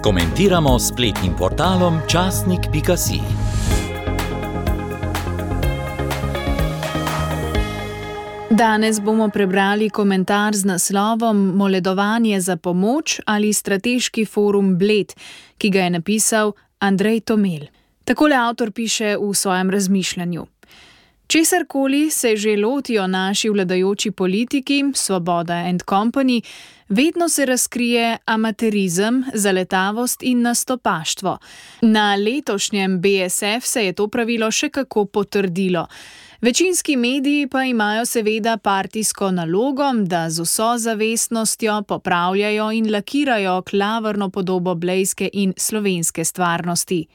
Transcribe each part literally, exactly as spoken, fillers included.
Komentiramo s spletnim portalom časnik pika si. Danes bomo prebrali komentar z naslovom Moledovanje za pomoč ali strateški forum Bled, ki ga je napisal Andrej Tomel. Takole avtor piše v svojem razmišljanju. Česarkoli se že lotijo naši vladajoči politiki, Svoboda and Company, vedno se razkrije amaterizem, zaletavost in nastopaštvo. Na letošnjem B S F se je to pravilo še kako potrdilo. Večinski mediji pa imajo seveda partijsko nalogo, da z vso zavestnostjo popravljajo in lakirajo klavrno podobo blejske in slovenske stvarnosti.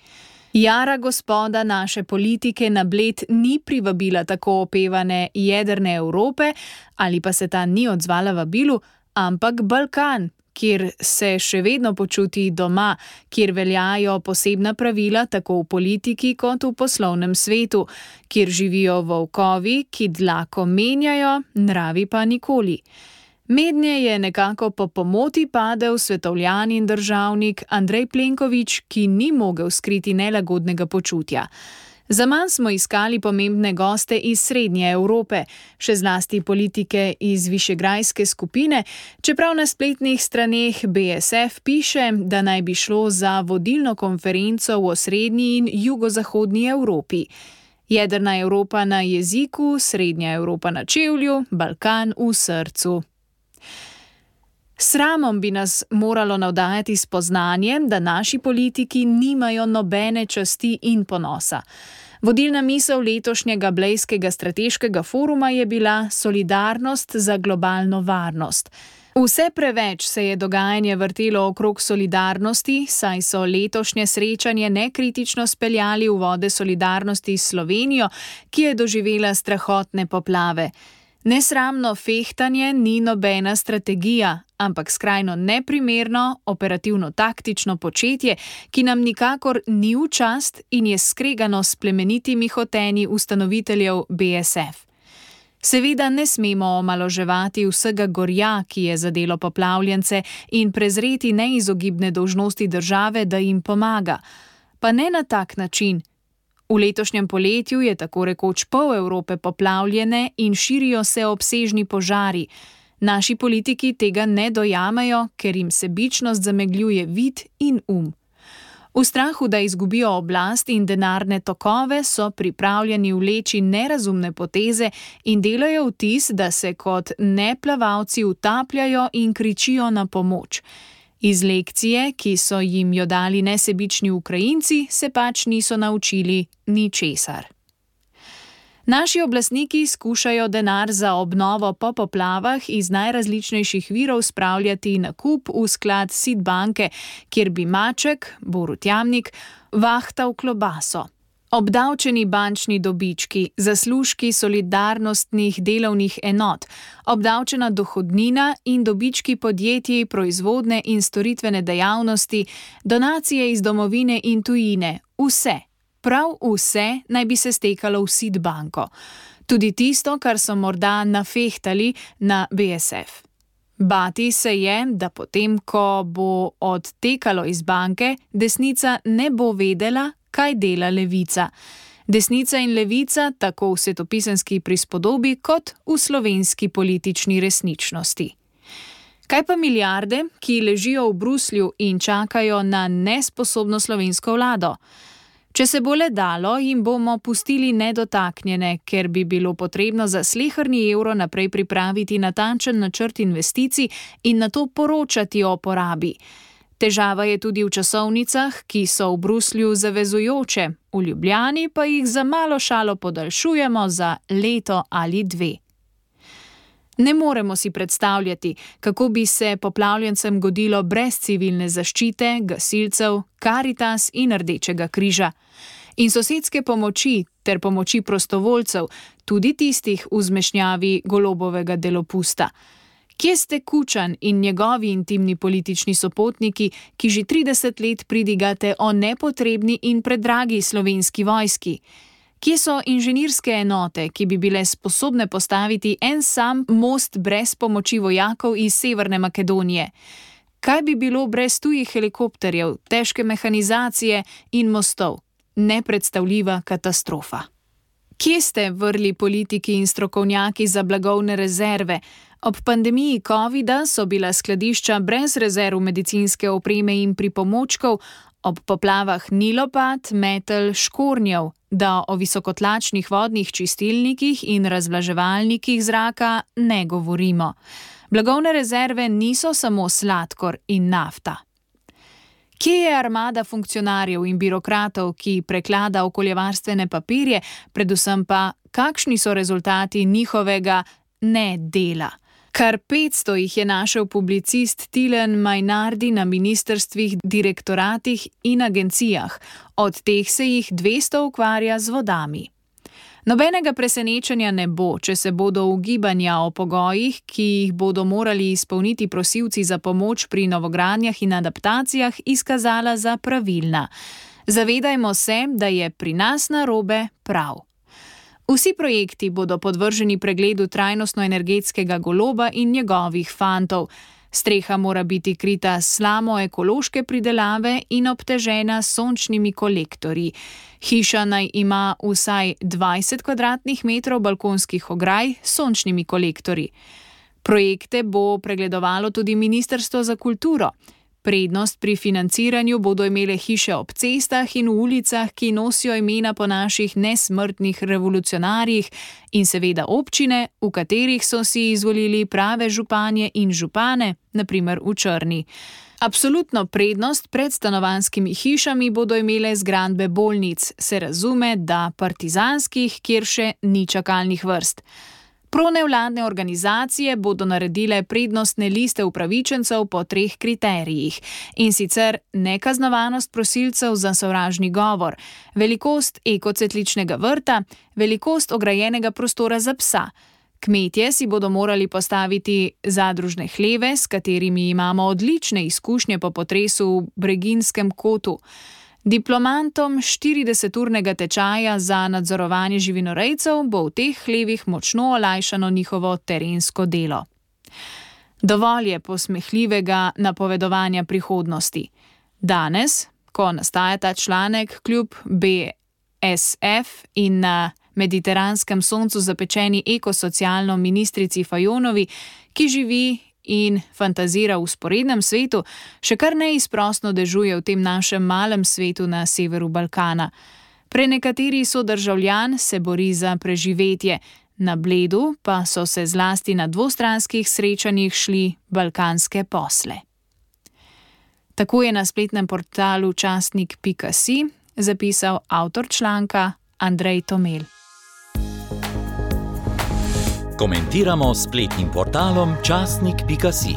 Jara gospoda naše politike na Bled ni privabila tako opevane jedrne Evrope, ali pa se ta ni odzvala vabilu, ampak Balkan, kjer se še vedno počuti doma, kjer veljajo posebna pravila tako v politiki kot v poslovnem svetu, kjer živijo volkovi, ki dlako menjajo, nravi pa nikoli. Mednje je nekako po pomoti padel svetovljan in državnik Andrej Plenković, ki ni mogel skriti nelagodnega počutja. Zaman smo iskali pomembne goste iz Srednje Evrope, še zlasti politike iz Višegrajske skupine, čeprav na spletnih straneh B S F piše, da naj bi šlo za vodilno konferenco v Srednji in jugozahodni Evropi. Jedrna Evropa na jeziku, Srednja Evropa na čevlju, Balkan v srcu. Sramom bi nas moralo navdajati spoznanje, da naši politiki nimajo nobene časti in ponosa. Vodilna misel letošnjega blejskega strateškega foruma je bila solidarnost za globalno varnost. Vse preveč se je dogajanje vrtelo okrog solidarnosti, saj so letošnje srečanje nekritično speljali v vode solidarnosti s Slovenijo, ki je doživela strahotne poplave. Nesramno fehtanje ni nobena strategija, ampak skrajno neprimerno, operativno-taktično početje, ki nam nikakor ni v čast in je skregano s plemenitimi hotenji ustanoviteljev B S F. Seveda ne smemo omaloževati vsega gorja, ki je zadelo poplavljence, in prezreti neizogibne dolžnosti države, da jim pomaga. Pa ne na tak način. V letošnjem poletju je tako rekoč pol Evrope poplavljene in širijo se obsežni požari. Naši politiki tega ne dojamejo, ker jim sebičnost zamegljuje vid in um. V strahu, da izgubijo oblast in denarne tokove, so pripravljeni vleči nerazumne poteze in delajo vtis, da se kot neplavalci utapljajo in kričijo na pomoč. Iz lekcije, ki so jim jo dali nesebični Ukrajinci, se pač niso naučili ničesar. Naši oblastniki skušajo denar za obnovo po poplavah iz najrazličnejših virov spravljati na kup v sklad Sid banke, kjer bi Maček, Borut Jamnik, vahtal klobaso. Obdavčeni bančni dobički, zaslužki solidarnostnih delovnih enot, obdavčena dohodnina in dobički podjetij proizvodne in storitvene dejavnosti, donacije iz domovine in tujine, vse, prav vse naj bi se stekalo v Sid banko. Tudi tisto, kar so morda nafehtali na B S F. Bati se je, da potem, ko bo odtekalo iz banke, desnica ne bo vedela, kaj dela levica. Desnica in levica tako v svetopisemski prispodobi kot v slovenski politični resničnosti. Kaj pa milijarde, ki ležijo v Bruslju in čakajo na nesposobno slovensko vlado? Če se bo le dalo, jim bomo pustili nedotaknjene, ker bi bilo potrebno za sleherni evro naprej pripraviti natančen načrt investicij in nato poročati o porabi. Težava je tudi v časovnicah, ki so v Bruslju zavezujoče, v Ljubljani pa jih za malo šalo podaljšujemo za leto ali dve. Ne moremo si predstavljati, kako bi se poplavljencem godilo brez civilne zaščite, gasilcev, Karitas in Rdečega križa. In sosedske pomoči ter pomoči prostovoljcev, tudi tistih v zmešnjavi Golobovega delopusta. Kje ste Kučan in njegovi intimni politični sopotniki, ki že trideset let pridigate o nepotrebni in predragi slovenski vojski? Kje so inženirske enote, ki bi bile sposobne postaviti en sam most brez pomoči vojakov iz Severne Makedonije? Kaj bi bilo brez tujih helikopterjev, težke mehanizacije in mostov? Nepredstavljiva katastrofa. Kje ste vrli politiki in strokovnjaki za blagovne rezerve? Ob pandemiji covida so bila skladišča brez rezerv medicinske opreme in pripomočkov, ob poplavah ni lopat, metel, škornjev, da o visokotlačnih vodnih čistilnikih in razvlaževalnikih zraka ne govorimo. Blagovne rezerve niso samo sladkor in nafta. Kje je armada funkcionarjev in birokratov, ki preklada okoljevarstvene papirje, predvsem pa kakšni so rezultati njihovega nedela? Kar petsto jih je našel publicist Tilen Majnardi na ministrstvih, direktoratih in agencijah, od teh se jih dvesto ukvarja z vodami. Nobenega presenečenja ne bo, če se bodo ugibanja o pogojih, ki jih bodo morali izpolniti prosilci za pomoč pri novogradnjah in adaptacijah, izkazala za pravilna. Zavedajmo se, da je pri nas narobe prav. Vsi projekti bodo podvrženi pregledu trajnostno-energetskega goloba in njegovih fantov. Streha mora biti krita s slamo ekološke pridelave in obtežena s sončnimi kolektorji. Hiša naj ima vsaj dvajset kvadratnih metrov balkonskih ograj s sončnimi kolektorji. Projekte bo pregledovalo tudi Ministrstvo za kulturo. Prednost pri financiranju bodo imele hiše ob cestah in v ulicah, ki nosijo imena po naših nesmrtnih revolucionarjih, in seveda občine, v katerih so si izvolili prave županje in župane, na primer v Črni. Absolutno prednost pred stanovanjskimi hišami bodo imele zgradbe bolnic, se razume, da partizanskih, kjer še ni čakalnih vrst. Pronevladne organizacije bodo naredile prednostne liste upravičencev po treh kriterijih, in sicer nekaznovanost prosilcev za sovražni govor, velikost ekocetličnega vrta, velikost ograjenega prostora za psa. Kmetje si bodo morali postaviti zadružne hleve, s katerimi imamo odlične izkušnje po potresu v Breginjskem kotu. Diplomantom štirideseturnega tečaja za nadzorovanje živinorejcev bo v teh hlevih močno olajšano njihovo terensko delo. Dovolj je posmehljivega napovedovanja prihodnosti. Danes, ko nastaja ta članek, kljub B S F in na mediteranskem soncu zapečeni ekosocialno ministrici Fajonovi, ki živi in fantazira v vzporednem svetu, še kar neizprosno dežuje v tem našem malem svetu na severu Balkana. Prenekateri sodržavljan se bori za preživetje, na Bledu pa so se zlasti na dvostranskih srečanjih šli balkanske posle. Tako je na spletnem portalu časnik pika si zapisal avtor članka Andrej Tomel. Komentiramo s spletnim portalom časnik pika si.